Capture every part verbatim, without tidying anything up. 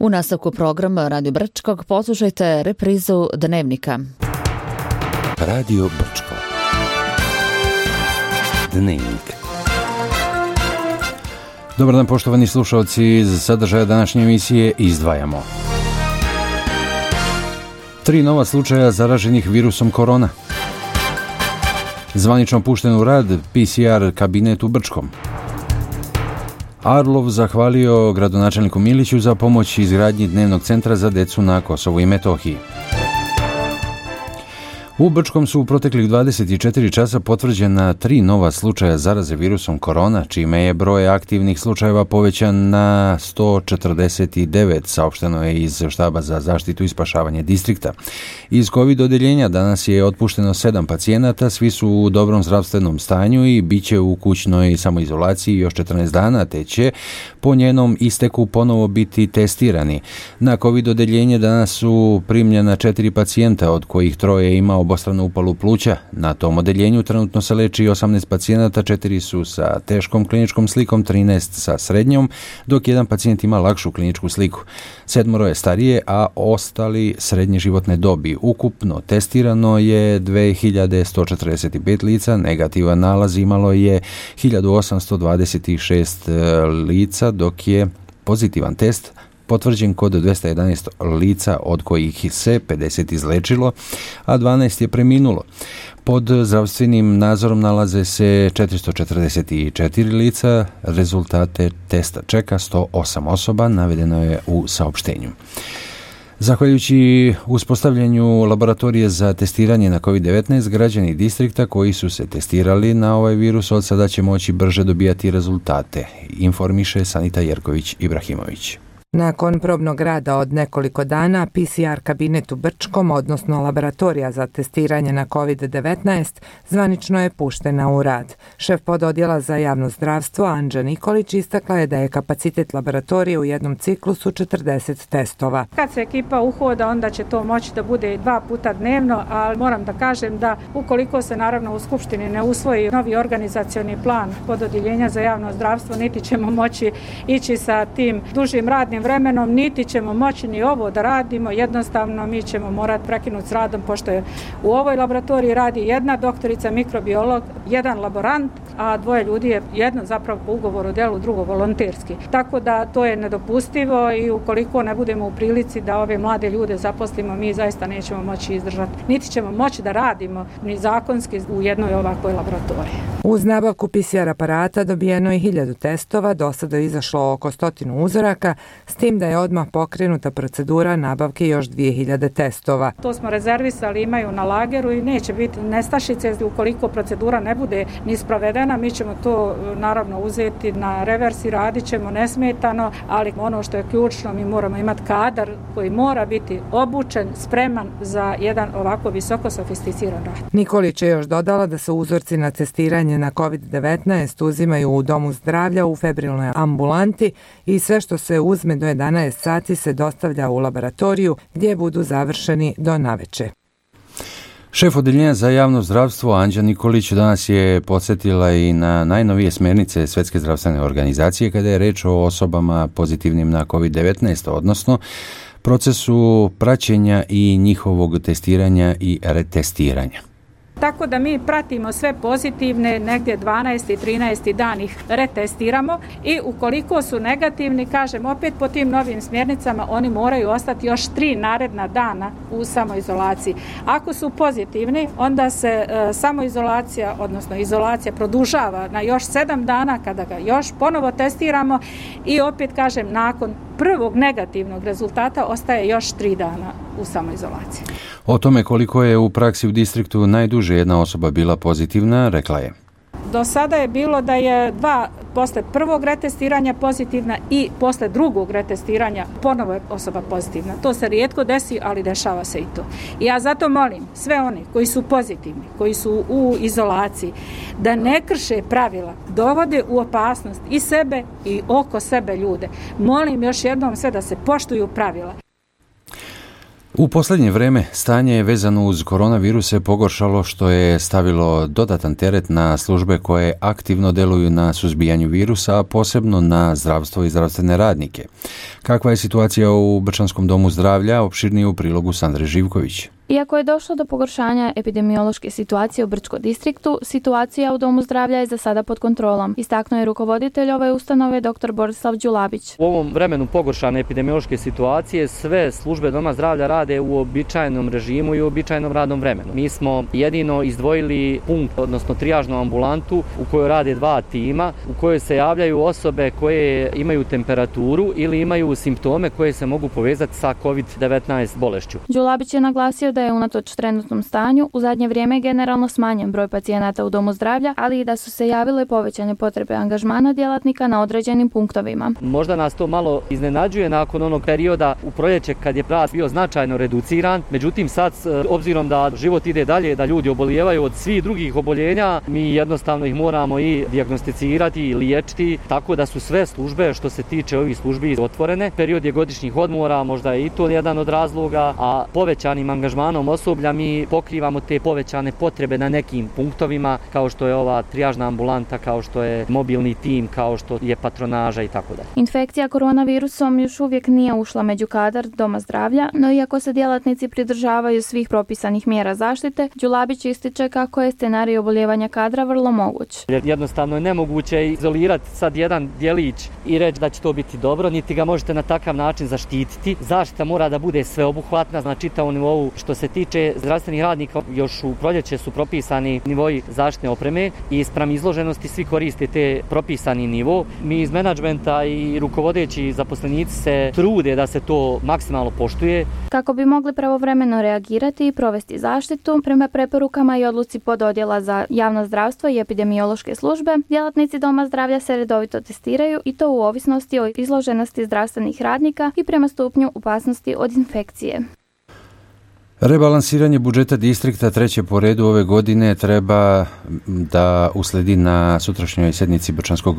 U nastavku programa Radio Brčkog poslušajte reprizu Dnevnika. Radio Brčko. Dnevnik. Dobar dan, poštovani slušalci, iz sadržaja današnje emisije izdvajamo: Tri nova slučaja zaraženih virusom korona. Zvanično pušten u rad P C R kabinet u Brčkom. Arlov zahvalio gradonačelniku Miliću za pomoć izgradnji dnevnog centra za decu na Kosovu i Metohiji. U Brčkom su u proteklih dvadeset četiri časa potvrđena tri nova slučaja zaraze virusom korona, čime je broj aktivnih slučajeva povećan na sto četrdeset devet, saopšteno je iz štaba za zaštitu i spašavanje distrikta. Iz COVID odeljenja danas je otpušteno sedam pacijenata, svi su u dobrom zdravstvenom stanju i bit će u kućnoj samoizolaciji još četrnaest dana, te će po njenom isteku ponovo biti testirani. Na COVID odeljenje danas su primljena četiri pacijenta, od kojih troje ima obostranu upalu pluća. Na tom odeljenju trenutno se leči osamnaest pacijenata, četiri su sa teškom kliničkom slikom, trinaest sa srednjom, dok jedan pacijent ima lakšu kliničku sliku. Sedmoro je starije, a ostali srednje životne dobi. Ukupno testirano je dve hiljade sto četrdeset pet lica, negativan nalaz imalo je hiljadu osamsto dvadeset šest lica, dok je pozitivan test potvrđen kod dvesta jedanaest lica, od kojih se pedeset izlečilo, a dvanaest je preminulo. Pod zdravstvenim nadzorom nalaze se četiristo četrdeset četiri lica, rezultate testa čeka sto osam osoba, navedeno je u saopštenju. Zahvaljujući uspostavljanju laboratorije za testiranje na COVID devetnaest, građani distrikta koji su se testirali na ovaj virus od sada će moći brže dobijati rezultate, informiše Sanita Jerković-Ibrahimović. Nakon probnog rada od nekoliko dana, P C R kabinet u Brčkom, odnosno laboratorija za testiranje na COVID devetnaest, zvanično je puštena u rad. Šef pododjela za javno zdravstvo Anđa Nikolić istakla je da je kapacitet laboratorije u jednom ciklusu četrdeset testova. Kad se ekipa uhoda, onda će to moći da bude dva puta dnevno, ali moram da kažem da ukoliko se naravno u Skupštini ne usvoji novi organizacioni plan pododjeljenja za javno zdravstvo, niti ćemo moći ići sa tim dužim radnim vremenom, niti ćemo moći ni ovo da radimo, jednostavno mi ćemo morati prekinuti s radom, pošto je u ovoj laboratoriji radi jedna doktorica mikrobiolog, jedan laborant, a dvoje ljudi je jedno zapravo po ugovoru o djelu, drugo volonterski. Tako da to je nedopustivo i ukoliko ne budemo u prilici da ove mlade ljude zaposlimo, mi zaista nećemo moći izdržati, niti ćemo moći da radimo ni zakonski u jednoj ovakvoj laboratoriji. Uz nabavku P C R aparata dobijeno je hiljadu testova, do sada je izašlo oko stotinu uzoraka, s tim da je odmah pokrenuta procedura nabavke još dvije hiljade testova. To smo rezervisali, imaju na lageru i neće biti nestašice ukoliko procedura ne bude ni sprovedena. Mi ćemo to naravno uzeti na revers i radit ćemo nesmetano, ali ono što je ključno, mi moramo imati kadar koji mora biti obučen, spreman za jedan ovako visoko sofisticiran rad. Nikolić je još dodala da se uzorci na testiranje na COVID devetnaest uzimaju u domu zdravlja u febrilnoj ambulanti i sve što se uzme do jedanaest sati se dostavlja u laboratoriju gdje budu završeni do naveče. Šef odeljenja za javno zdravstvo Anđa Nikolić danas je podsjetila i na najnovije smjernice Svjetske zdravstvene organizacije kada je reč o osobama pozitivnim na COVID devetnaest, odnosno procesu praćenja i njihovog testiranja i retestiranja. Tako da mi pratimo sve pozitivne, negdje dvanaesti i trinaesti dan ih retestiramo i ukoliko su negativni, kažem opet po tim novim smjernicama, oni moraju ostati još tri naredna dana u samoizolaciji. Ako su pozitivni, onda se e, samoizolacija, odnosno izolacija produžava na još sedam dana kada ga još ponovo testiramo i opet kažem nakon prvog negativnog rezultata ostaje još tri dana u samoizolaciji. O tome koliko je u praksi u distriktu najduže jedna osoba bila pozitivna, rekla je: Do sada je bilo da je dva posle prvog retestiranja pozitivna i posle drugog retestiranja ponovo je osoba pozitivna. To se rijetko desi, ali dešava se i to. I ja zato molim sve one koji su pozitivni, koji su u izolaciji, da ne krše pravila, dovode u opasnost i sebe i oko sebe ljude. Molim još jednom sve da se poštuju pravila. U posljednje vrijeme stanje je vezano uz koronavirus se pogoršalo što je stavilo dodatan teret na službe koje aktivno deluju na suzbijanju virusa, a posebno na zdravstvo i zdravstvene radnike. Kakva je situacija u Brčanskom domu zdravlja, opširnije u prilogu Sandre Živković. Iako je došlo do pogoršanja epidemiološke situacije u Brčkom distriktu, situacija u Domu zdravlja je za sada pod kontrolom, istaknuo je rukovoditelj ove ustanove dr. Borislav Đulabić. U ovom vremenu pogoršane epidemiološke situacije sve službe Doma zdravlja rade u običajnom režimu i u običajnom radnom vremenu. Mi smo jedino izdvojili punkt, odnosno trijažnu ambulantu u kojoj rade dva tima, u kojoj se javljaju osobe koje imaju temperaturu ili imaju simptome koje se mogu povezati sa kovid devetnaest bolešću. Đulabić je naglasio da je unatoč trenutnom stanju u zadnje vrijeme generalno smanjen broj pacijenata u Domu zdravlja, ali i da su se javile povećane potrebe angažmana djelatnika na određenim punktovima. Možda nas to malo iznenađuje nakon onog perioda u proljeće kad je rad bio značajno reduciran, međutim sad obzirom da život ide dalje, da ljudi obolijevaju od svih drugih oboljenja, mi jednostavno ih moramo i dijagnosticirati i liječiti, tako da su sve službe što se tiče ovih službi otvorene. Period je godišnjih odmora, možda je i to jedan od razloga, a povećanim angažmanom osoblja mi pokrivamo te povećane potrebe na nekim punktovima, kao što je ova trijažna ambulanta, kao što je mobilni tim, kao što je patronaža i tako dalje. Infekcija koronavirusom još uvijek nije ušla među kadar Doma zdravlja, no iako se djelatnici pridržavaju svih propisanih mjera zaštite, Đulabić ističe kako je scenarij oboljevanja kadra vrlo moguć. Jednostavno je nemoguće izolirati sad jedan djelić i reći da će to biti dobro, niti ga možete na takav način zaštititi. Zaštita mora da bude sveobuhvatna na čitavom nivou. Što se tiče zdravstvenih radnika, još u proljeće su propisani nivoji zaštitne opreme i spram izloženosti svi koriste te propisani nivo. Mi iz menadžmenta i rukovodeći zaposlenici se trude da se to maksimalno poštuje. Kako bi mogli pravovremeno reagirati i provesti zaštitu, prema preporukama i odluci pododjela za javno zdravstvo i epidemiološke službe, djelatnici Doma zdravlja se redovito testiraju i to u ovisnosti o izloženosti zdravstvenih radnika i prema stupnju opasnosti od infekcije. Rebalansiranje budžeta distrikta treće po redu ove godine treba da usledi na sutrašnjoj sjednici Brčanskog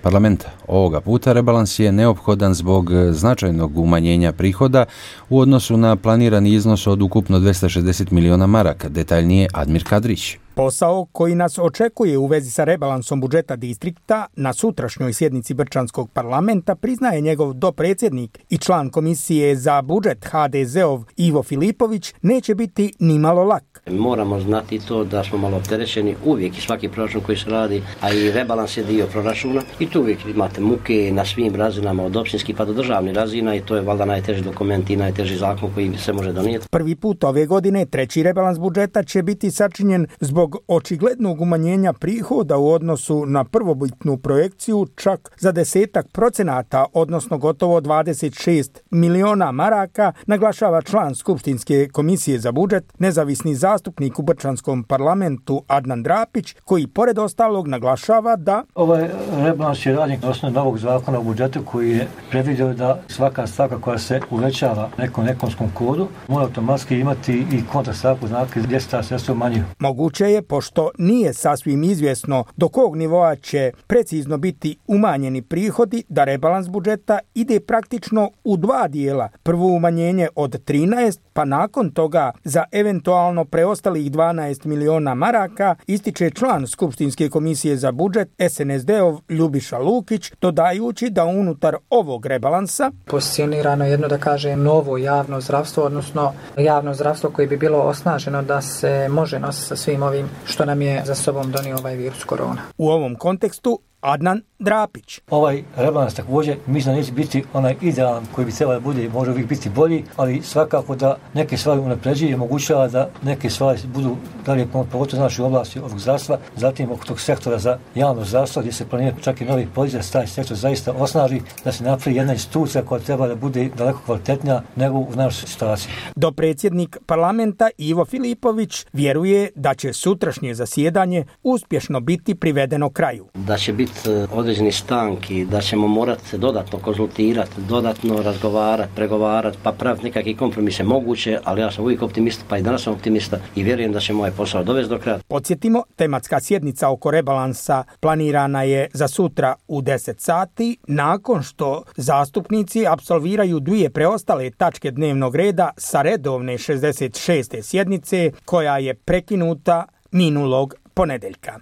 parlamenta. Ovoga puta rebalans je neophodan zbog značajnog umanjenja prihoda u odnosu na planirani iznos od ukupno dvesta šezdeset miliona maraka, detaljnije Admir Kadrić. Posao koji nas očekuje u vezi sa rebalansom budžeta distrikta na sutrašnjoj sjednici Brčanskog parlamenta priznaje njegov dopredsjednik i član komisije za budžet ha de zeov Ivo Filipović, neće biti ni malo lak. Moramo znati to da smo malo opterećeni uvijek i svaki proračun koji se radi, a i rebalans je dio proračuna i tu uvijek imate muke na svim razinama od općinskih pa do državnih razina i to je valjda najteži dokument i najteži zakon koji se može donijeti. Prvi put ove godine treći rebalans budžeta će biti sačinjen zbog očiglednog umanjenja prihoda u odnosu na prvobitnu projekciju čak za desetak procenata, odnosno gotovo dvadeset šest miliona maraka, naglašava član Skupštinske komisije za budžet, nezavisni zastupnik u Brčanskom parlamentu Adnan Drapić, koji pored ostalog naglašava da ovaj rebalans je rađen na osnovu novog zakona o budžetu koji je predvidio da svaka stavka koja se uvećava nekom ekonomskom kodu mora automatski imati i kontrastavku znaka gdje se ta sredstva umanjuju. Moguće je, pošto nije sasvim izvjesno do kog nivoa će precizno biti umanjeni prihodi, da rebalans budžeta ide praktično u dva dijela. Prvo umanjenje od trinaest, pa nakon toga za eventualno preostalih dvanaest miliona maraka, ističe član Skupštinske komisije za budžet es en es de-ov Ljubiša Lukić, dodajući da unutar ovog rebalansa pozicionirano jedno, da kažem, novo javno zdravstvo, odnosno javno zdravstvo koje bi bilo osnaženo da se može nositi sa svim ovim što nam je za sobom donio ovaj virus korona. U ovom kontekstu Adnan Drapić. Ovaj rebalans također mislim da neće biti onaj idealan koji bi trebalo da bude, može uvijek biti bolji, ali svakako da neke stvari unapređuje i omogućava da neke stvari budu dalje pogotovo znači u oblasti ovog zdravstva, zatim oko tog sektora za javno zdravstvo gdje se planira čak i novi politik da se taj sektor zaista osnaži, da se napravi jedna institucija koja treba da bude daleko kvalitetnija nego u našoj situaciji. Dopredsjednik parlamenta Ivo Filipović vjeruje da će sutrašnje zasjedanje uspješno biti privedeno kraju. Da će biti određenih stanki, da ćemo morati se dodatno konzultirati, dodatno razgovarati, pregovarati, pa praviti nekakve kompromise moguće, ali ja sam uvijek optimista, pa i danas sam optimista i vjerujem da ćemo ovaj posao dovesti do kraja. Podsjetimo, tematska sjednica oko rebalansa planirana je za sutra u deset sati, nakon što zastupnici apsolviraju dvije preostale tačke dnevnog reda sa redovne šezdeset šeste sjednice, koja je prekinuta minulog ponedeljka.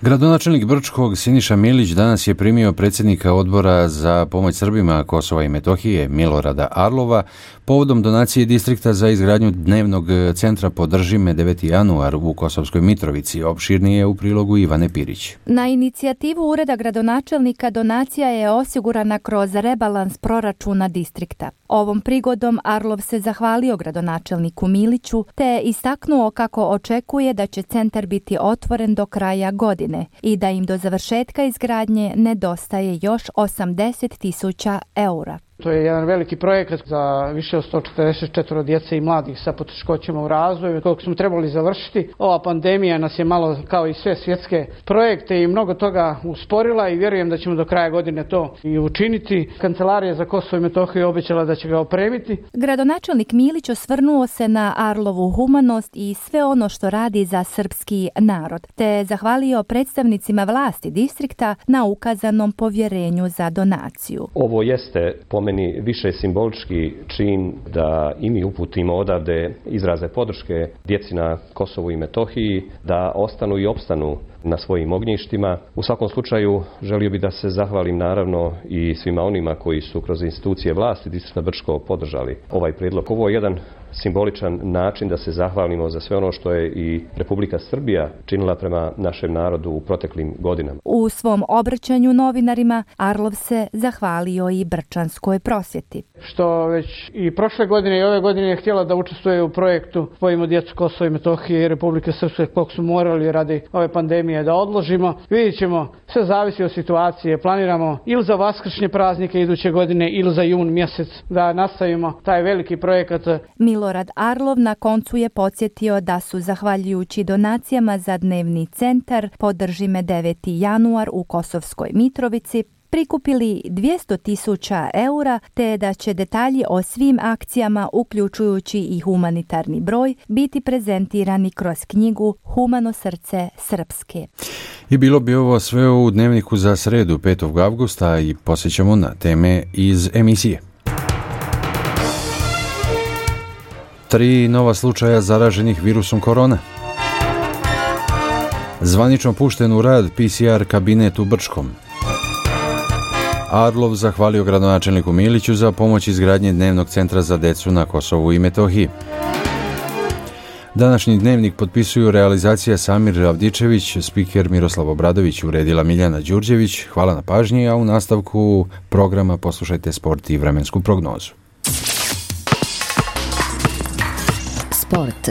Gradonačelnik Brčkog Siniša Milić danas je primio predsjednika odbora za pomoć Srbima Kosova i Metohije Milorada Arlova povodom donacije distrikta za izgradnju dnevnog centra Podrži me deveti januar u Kosovskoj Mitrovici. Opširnije u prilogu Ivane Pirić. Na inicijativu Ureda gradonačelnika donacija je osigurana kroz rebalans proračuna distrikta. Ovom prigodom Arlov se zahvalio gradonačelniku Miliću te je istaknuo kako očekuje da će centar biti otvoren do kraja godine i da im do završetka izgradnje nedostaje još osamdeset tisuća eura. To je jedan veliki projekat za više od sto četrdeset četiri djece i mladih sa poteškoćama u razvoju, kojeg smo trebali završiti. Ova pandemija nas je malo, kao i sve svjetske projekte, i mnogo toga usporila i vjerujem da ćemo do kraja godine to i učiniti. Kancelarija za Kosovo i Metohiju je obećala da će ga opremiti. Gradonačelnik Milić osvrnuo se na Arlovu humanost i sve ono što radi za srpski narod, te je zahvalio predstavnicima vlasti distrikta na ukazanom povjerenju za donaciju. Ovo jeste po meni više simbolički čin da i mi uputimo odavde izraze podrške djeci na Kosovu i Metohiji, da ostanu i opstanu na svojim ognjištima. U svakom slučaju želio bih da se zahvalim naravno i svima onima koji su kroz institucije vlasti distrikta Brčko podržali ovaj prijedlog. Ovo je jedan simboličan način da se zahvalimo za sve ono što je i Republika Srbija činila prema našem narodu u proteklim godinama. U svom obraćanju novinarima Arlov se zahvalio i brčanskoj prosvjeti. Što već i prošle godine i ove godine je htjela da učestvuje u projektu Spojimo djecu Kosova i Metohije i Republike Srpske, kog su morali radi ove pandemije da odložimo. Vidjet ćemo, sve zavisi od situacije. Planiramo ili za vaskršnje praznike iduće godine ili za jun mjesec da nastavimo taj veliki projekat. Milorad Arlov na koncu je podsjetio da su, zahvaljujući donacijama za dnevni centar Podrži me deveti januar u Kosovskoj Mitrovici, prikupili dvjesto tisuća eura, te da će detalji o svim akcijama, uključujući i humanitarni broj, biti prezentirani kroz knjigu Humano srce Srpske. I bilo bi ovo sve u dnevniku za sredu petog avgusta i posjećamo na teme iz emisije. Tri nova slučaja zaraženih virusom korona. Zvanično pušten u rad P C R kabinet u Brčkom. Arlov zahvalio gradonačelniku Miliću za pomoć izgradnje dnevnog centra za decu na Kosovu i Metohiji. Današnji dnevnik potpisuju realizacija Samir Ravdičević, spiker Miroslav Obradović, uredila Miljana Đurđević. Hvala na pažnji, a u nastavku programa poslušajte sport i vremensku prognozu. Sport.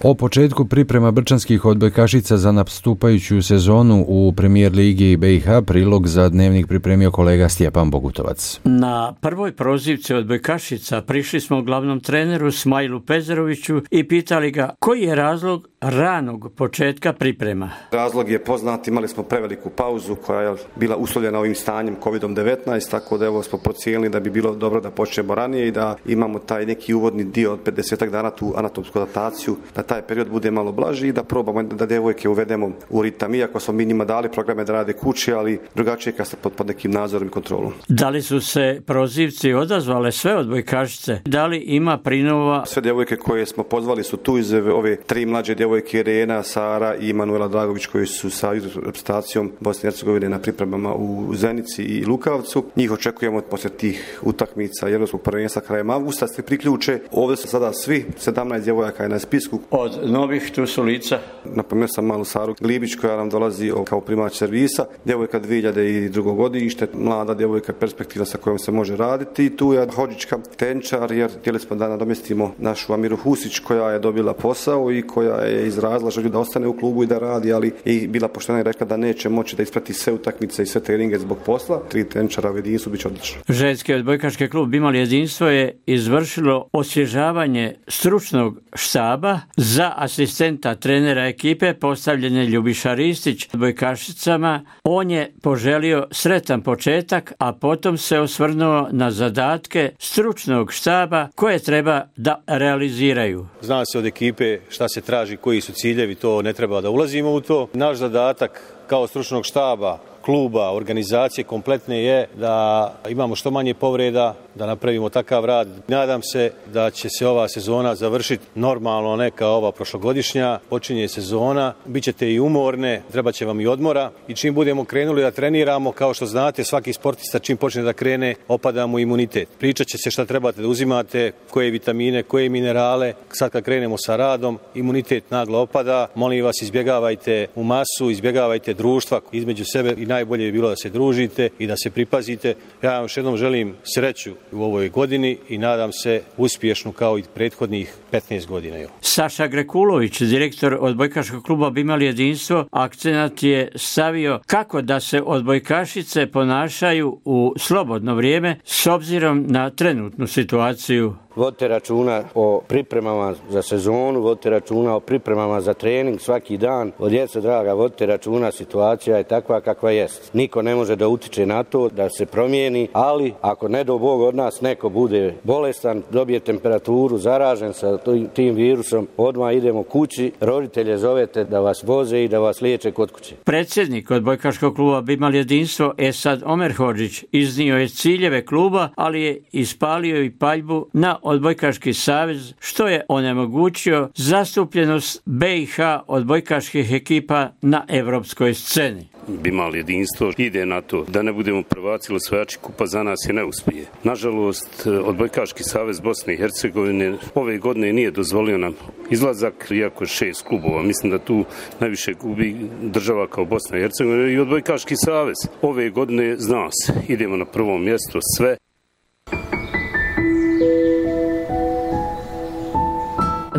O početku priprema brčanskih odbojkašica za nastupajuću sezonu u Premijer Ligi B i H prilog za dnevnik pripremio kolega Stjepan Bogutovac. Na prvoj prozivci odbojkašica prišli smo glavnom treneru Smajlu Pezeroviću i pitali ga koji je razlog ranog početka priprema. Razlog je poznat, imali smo preveliku pauzu koja je bila uslovljena ovim stanjem kovid devetnaest, tako da evo smo procijenili da bi bilo dobro da počnemo ranije i da imamo taj neki uvodni dio od pedeset dana, tu anatomsku adaptaciju, da taj period bude malo blaži i da probamo da djevojke uvedemo u ritam. Iako smo mi njima dali programe da rade kući, ali drugačije kad ste pod, pod nekim nadzorom i kontrolom. Da li su se prozivci odazvale sve odbojkašice? Da li ima prinova? Sve djevojke koje smo pozvali su tu iz ove tri mlađe djevojke, Irena, Sara i Manuela Dragović, koji su sa reprezentacijom Bosne i Hercegovine na pripremama u Zenici i Lukavcu. Njih očekujemo poslije tih utakmica Europskog prvenstva krajem avgusta se priključe. Ovdje su sada svi sedamnaest djevojaka je na spisku. Od novih tu su lica. Napomenuo sam malu Saru Glibić koja nam dolazi kao primać servisa. Djevojka dvije hiljade drugo godište, mlada djevojka perspektiva sa kojom se može raditi. I tu je Hodžićka tenčar, jer htjeli smo da nadomjestimo našu Amiru Husić koja je dobila posao i koja je je izrazila želju da ostane u klubu i da radi, ali i bila poštena i rekla da neće moći da isprati sve utakmice i sve treninge zbog posla. Tri tenčara u jedinstvu bit će odlično. Ženski odbojkaški klub Imali jedinstvo je izvršilo osvježavanje stručnog štaba. Za asistenta trenera ekipe postavljen je Ljubiša Ristić odbojkašicama. On je poželio sretan početak, a potom se osvrnuo na zadatke stručnog štaba koje treba da realiziraju. Zna se od ekipe šta se traži, koji su ciljevi, to ne treba da ulazimo u to. Naš zadatak kao stručnog štaba, kluba, organizacije kompletne je da imamo što manje povreda, da napravimo takav rad. Nadam se da će se ova sezona završiti normalno, ne kao ova prošlogodišnja. Počinje sezona, bit ćete i umorne, treba će vam i odmora i čim budemo krenuli da treniramo, kao što znate, svaki sportista čim počne da krene, opada mu imunitet. Pričat će se šta trebate da uzimate, koje vitamine, koje minerale. Sad kad krenemo sa radom, imunitet naglo opada. Molim vas, izbjegavajte u masu, izbjegavajte društva između sebe i najbolje je bilo da se družite i da se pripazite. Ja vam još jednom želim sreću u ovoj godini i nadam se uspješnu kao i prethodnih petnaest godina. Saša Grekulović, direktor odbojkaškog kluba Imali jedinstvo, akcenat je stavio kako da se odbojkašice ponašaju u slobodno vrijeme s obzirom na trenutnu situaciju. Vodite računa o pripremama za sezonu, vodite računa o pripremama za trening svaki dan. Od djece, draga, vodite računa, situacija je takva kakva jest. Niko ne može da utiče na to, da se promijeni, ali ako ne do Bog od nas neko bude bolestan, dobije temperaturu, zaražen sa tim virusom, odmah idemo kući, roditelje zovete da vas voze i da vas liječe kod kuće. Predsjednik odbojkaškog kluba Imali jedinstvo Esad Omerhodžić iznio je ciljeve kluba, ali je ispalio i paljbu na Odbojkaški savez, što je onemogućio zastupljenost B i H odbojkaških ekipa na evropskoj sceni. Imali jedinstvo ide na to da ne budemo prvaci ili osvajači kupa, za nas je neuspije. Nažalost, Odbojkaški savez Bosne i Hercegovine ove godine nije dozvolio nam izlazak, iako je šest klubova. Mislim da tu najviše gubi država kao Bosna i Hercegovina i Odbojkaški savez. Ove godine zna se, idemo na prvo mjesto sve.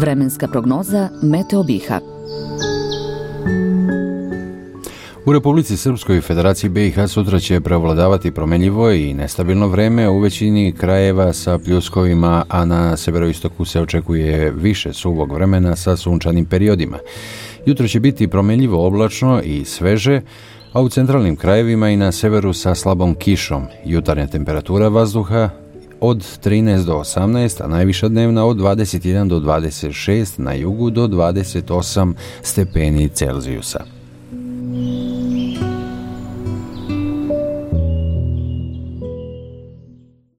Vremenska prognoza Meteo Biha. U Republici Srpskoj i Federaciji B i H sutra će prevladavati promjenjivo i nestabilno vreme u većini krajeva sa pljuskovima, a na severoistoku se očekuje više suvog vremena sa sunčanim periodima. Jutro će biti promjenjivo oblačno i sveže, a u centralnim krajevima i na severu sa slabom kišom. Jutarnja temperatura vazduha od trinaest do osamnaest, a najviša dnevna od dvadeset jedan do dvadeset šest, na jugu do dvadeset osam stepeni Celzijusa.